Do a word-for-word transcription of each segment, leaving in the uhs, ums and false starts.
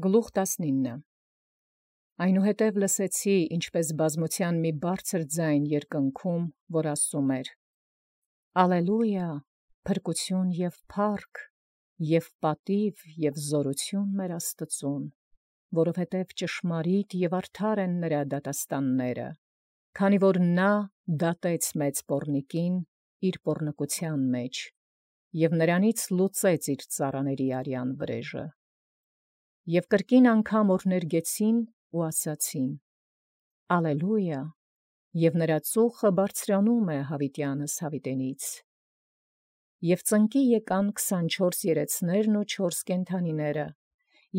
Գլուխ տասնինը Այնուհետև լսեցի, ինչպէս բազմութեան մի բարձր ձայն երկնքում, որ ասում էր. Ալելույա, փրկութիւն և փառք, և պատիւ և զօրութիւն մեր Աստուծոյ, որովհետև ճշմարիտ և արդար են նրա դատաստանները, քանի որ նորա դատեց մեծ պոռնիկին իր պոռնկութեան մեջ, և նրանից լուծեց իր ծառաների արյան վրեժը։ Եւ կրկին անգամ օրհներգեցին ու ասացին. Ալելույա, և նրա ծուխը բարձրանում է յաւիտեանս յաւիտենից։ Եւ ծնկի եկան քսանչորս երեցներն ու չորս կենդանիները,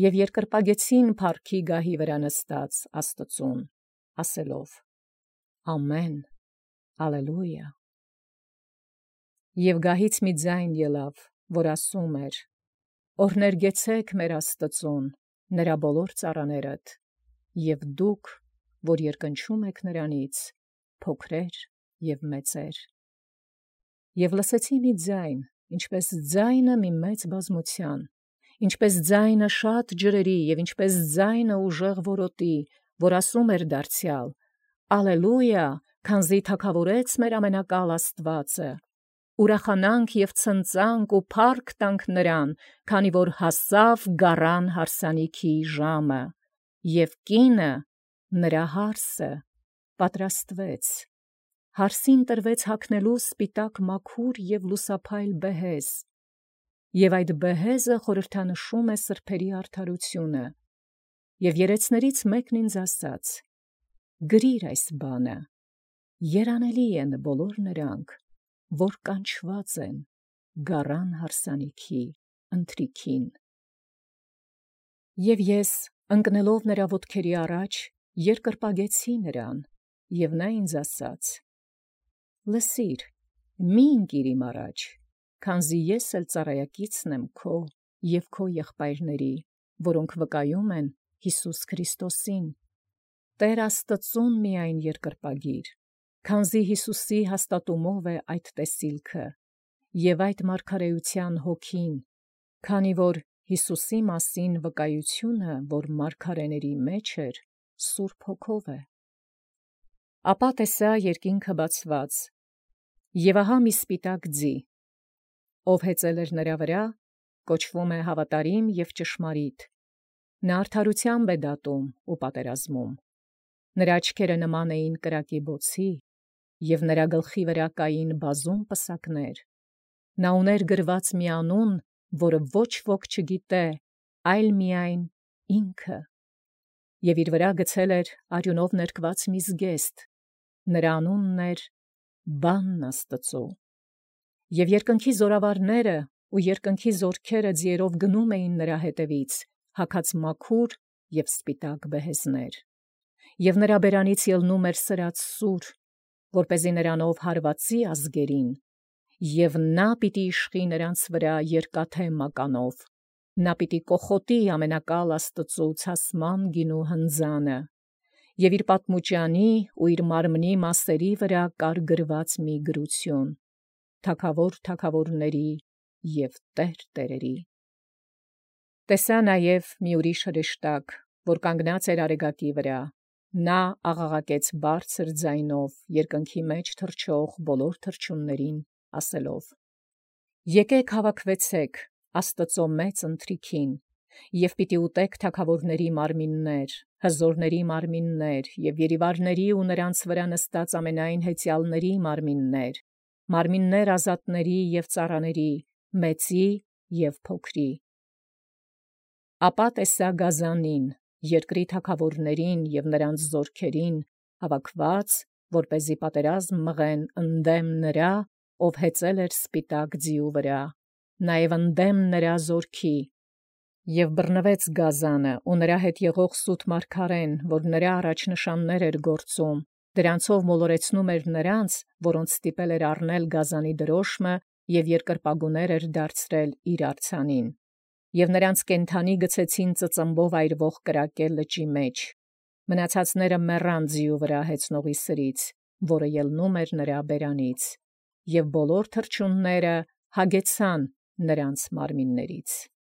և երկրպագեցին փառքի գահի վրա նստած Աստուծուն, ասելով. Ամեն, ալելույա։ Եւ գահից մի ձայն ելանէր, որ ասում էր. Օրհներգեցէք մեր Աստուծուն, նրա բոլոր ծառաներդ, և դուք, որ երկնչում եք նրանից, փոքրեր և մեծեր։ Եւ լսեցի մի ձայն, ինչպէս ձայնը մի մեծ բազմութեան, ինչպէս ձայնը շատ ջրերի և ինչպէս ձայնը ուժեղ որոտի, որ ասում էր դարձեալ. Ալելույա, քանզի թագաւորեց մեր ամենակալ Աստուածը, ուրախանանք և ցնծանք ու փառք տանք նրան, քանի որ հասաւ գառան հարսանիքի ժամը, և կինը, նրա հարսը, պատրաստվեց, հարսին տրվեց հագնելու սպիտակ մաքուր և լուսափայլ բեհեզ, և այդ բեհեզը խորհրդանշում է սրբոցն արդարութիւնը, և երեցներից մեկն ինձ ասաց. Գրի՛ր այս բանը, երանելի են բոլոր նրանք, որ կանչված են գառան հարսանիքի ընթրիքին։ Եւ ես ընկնելով նրա ոտքերի առաջ երկրպագեցի նրան, և նա ինձ ասաց. Լսիր, մի՛ ընկիր իմ առաջ, քանզի ես էլ ծառայակիցն եմ քո և քո եղբայրների, որոնք վկայում են Յիսուս Քրիստոսին, Տէր Աստուծուն միայն երկրպագիր, քանզի Յիսուսի հաստատումով է այդ տեսիլքը և այդ մարգարէութեան հոգին, քանի որ Յիսուսի մասին վկայութիւնը, որ մարգարէների մեջ էր, Սուրբ Հոգով է։ Ապա տեսայ երկինքը բացված, և ահա մի սպիտակ ձի, ով հեծել էր նրա վրա, կոչվում է Հավատարիմ և Ճշմարիտ. նա արդարութեամբ է դատում ու պատերազմում. նրա աչքերը նման էին կրակի բոցի, և նրա գլխի վրա կային բազում պսակներ. նա ունէր գրված մի անուն, որը ոչ ոք չգիտէ, այլ միայն ինքը, և իր վրա գցել էր արյունով ներկված մի զգեստ, նրա անունն էր Բանն Աստուծոյ։ Եւ երկնքի զօրավարները ու երկնքի զօրքերը ձիերով գնում էին նրա ետևից, հագած մաքուր և սպիտակ բեհեզներ, և նրա բերանից ելնում էր սրած սուր, որպեսզի նրանով հարվածի ազգերին, և նա պիտի իշխի նրանց վրա երկաթե մականով, նա պիտի կոխոտի ամենակալ Աստուծոյ ցասման գինու հնձանը, և իր պատմուճանի ու իր մարմնի մասերի վրա կար գրված մի գրութիւն. Թագաւոր թագաւորաց և Տէր տերերին։ Տեսայ նաև մի ուրիշ հրեշտակ, որ կանգնած էր յարեգակի վրա, նա աղաղակեց բարձր ձայնով երկնքի մեջ թռչող բոլոր թռչունացն, ասելով. Եկէք հաւաքվեցէք Աստուծոյ մեծ ընթրիքին, և պիտի ուտեք թագաւորաց մարմիններ, հզորաց մարմիններ և երիվարաց ու նրանց վրա նստած ամենայն հեծեալաց մարմիններ, մարմիններ ազատաց և ծառաց, մեծի և փոքրի։ Ապա տեսայ գազանին, երկրի թագաւորացն և նոցին զօրքերին հաւաքուած, որպեսզի պատերազմ մղեն ընդդեմ նրա, ով հեծել էր սպիտակ ձիու վրա, նաև ընդդեմ նրա զօրքի, և բռնուեց գազանը ու նրա հետ եղող սուտ մարգարէն, որ նրա առաջնշաններ էր գործում, դրանցով մոլորեցնում էր նրանց, որոնց ստիպել էր առնել գազանի դրօշմը և երկրպագուներ էր դարձրել իր արձանին, և նրանց կենդանի գցեցին ծծմբով այրվող կրակե լճի մեջ, մնացածները մեռան ձիու վրա հեծնողի սրից, որը ելնում էր նրա բերանից, և բոլոր թռչունները հագեցան նոցին մարմիններից։